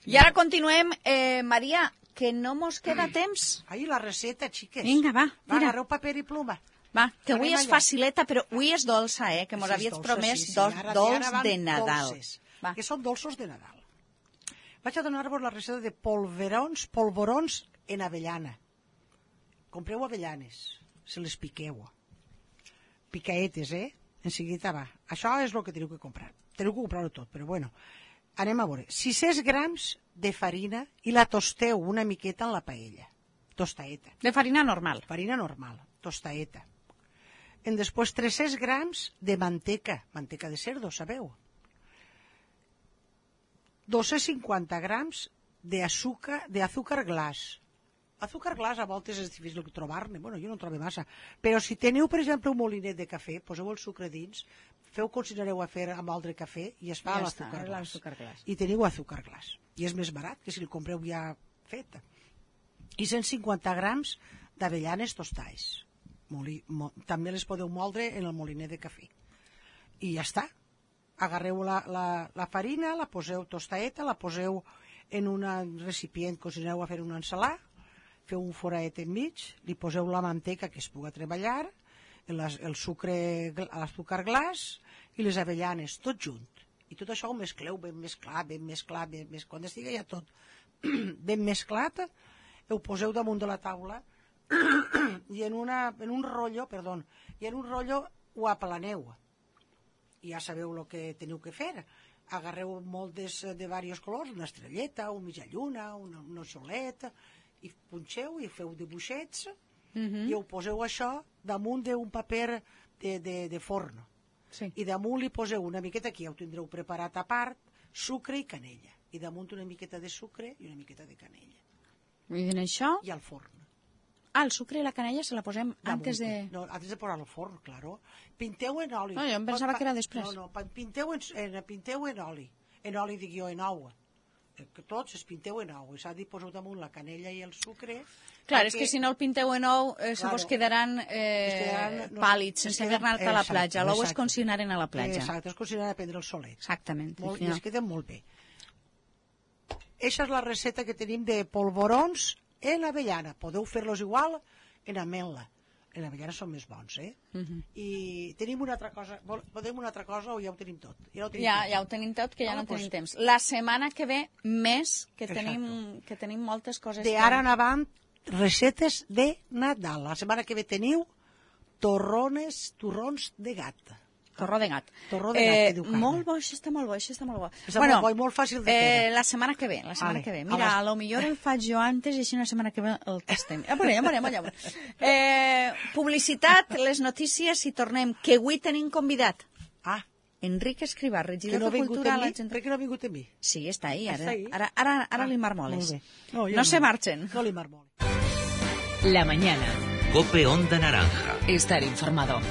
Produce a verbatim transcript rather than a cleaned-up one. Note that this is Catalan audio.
I ara continuem. Eh, Maria, que no mos queda temps. Ai, la receta, xiques. Vinga, va, Va, tira. agarreu paper i pluma. Va, que avui Anem és allà. facileta, però avui és dolça, eh? Que mos Sí, és havies dolça, promès sí, sí. dos Ara- dolç ara van de Nadal. dolces, Va. que són dolços de Nadal. Vaig a donar-vos la recepta de polverons, polvorons en avellana. Compreu avellanes, se les piqueu. Picaetes, eh? En seguida va. Això és el que teniu que comprar. Teniu que comprar-ho tot, però bueno. Anem a veure. sis-cents grams de farina i la tosteu una miqueta en la paella. Tostaeta. De farina normal. Farina normal, tostaeta. En després tres-cents grams de manteca, manteca de cerdo, sabeu? dos-cents cinquanta grams d'azúcar de azúcar glaç. Azúcar glaç a voltes és difícil trobar-ne, bueno, jo no en trobo massa, però si teniu, per exemple, un molinet de cafè, poseu el sucre dins, feu com si anareu a fer amb altre cafè i es fa Ja l'azúcar està, glaç. l'azúcar glaç. I teniu azúcar glaç. I és més barat que si li compreu ja feta. I cent cinquanta grams d'avellanes tostades. Moli, mo, també les podeu moldre en el molinet de cafè. I ja està. Agarreu la, la, la farina, la poseu tostaeta, la poseu en un recipient que us aneu a fer una ensalada, feu un foraet enmig, li poseu la manteca que es puga treballar, el, el sucre, l'azúcar glaç i les avellanes, tot junt. I tot això ho mescleu ben mesclat, ben mesclat, ben mesclat. Quan estigui ja tot ben mesclat, ho poseu damunt de la taula i en, una, en un rotllo, perdó, i en un rotllo ho aplaneu. I ja sabeu el que teniu que fer. Agarreu moltes de diversos colors, una estrelleta, una mitja lluna, una, una soleta, i punxeu i feu dibuixets Mhm. i ho poseu això damunt d'un paper de, de, de forn. Sí. I damunt li poseu una miqueta, aquí ja ho tindreu preparat a part, sucre i canella. I damunt una miqueta de sucre i una miqueta de canella. I en això... I al forn. Ah, el sucre i la canella se la posem Damunt. antes de... No, antes de posar al forn, claro. Pinteu en oli. No, jo em pensava Pa- que era després. No, no, pa- pinteu en, en, pinteu en oli. En oli, dic jo, en ou. Eh, Que tots es pinteu en ou. I s'ha de posar damunt la canella i el sucre. Clar, és que si no el pinteu en ou, eh, se Claro. vos quedaran Es eh, quedaran, no, pàl·lids, es sense queden- haver anat a la exacte, platja. L'ou és exacte. com si anaren a la platja. Exacte, és com si anara a prendre el solet. Exactament. Molt, sí, I no. es queden molt bé. Eixa és la receta que tenim de polvorons en avellana. Podeu fer-los igual en ametla. En avellana són més bons, eh? Mhm. I tenim una altra cosa. Vol- Podem una altra cosa o ja ho tenim tot? Ja ho tenim Ja, tot. ja ho tenim tot, que ja Ah, no pues- tenim temps. La setmana que ve, més, que Exacto. tenim, que tenim moltes coses. De que- ara en avant, recetes de Nadal. La setmana que ve teniu torrones, torrons de gat. Torró de gat. Torró de gat, que diu Carme. Molt bo, això està molt bo, això està molt bo. Està molt bo i molt fàcil de eh, fer. La setmana que ve, la setmana Vale. que ve. A Mira, les- a lo millor el faig jo antes i així una setmana que ve el tastem. Ja veurem, ja veurem, ja veurem. Eh, publicitat, les notícies i tornem. Que avui tenim convidat. Ah, Enric Escrivà, que regidor no ha de vingut Cultura. a mi? La gent... Per què no ha vingut a mi? Sí, està ahí, ara. Està ahí? Ara, ara, ara Ah, li marmoles. molt bé. No, jo No se marchen. No li marmoles. La mañana. Cope Onda Naranja. Estar informado.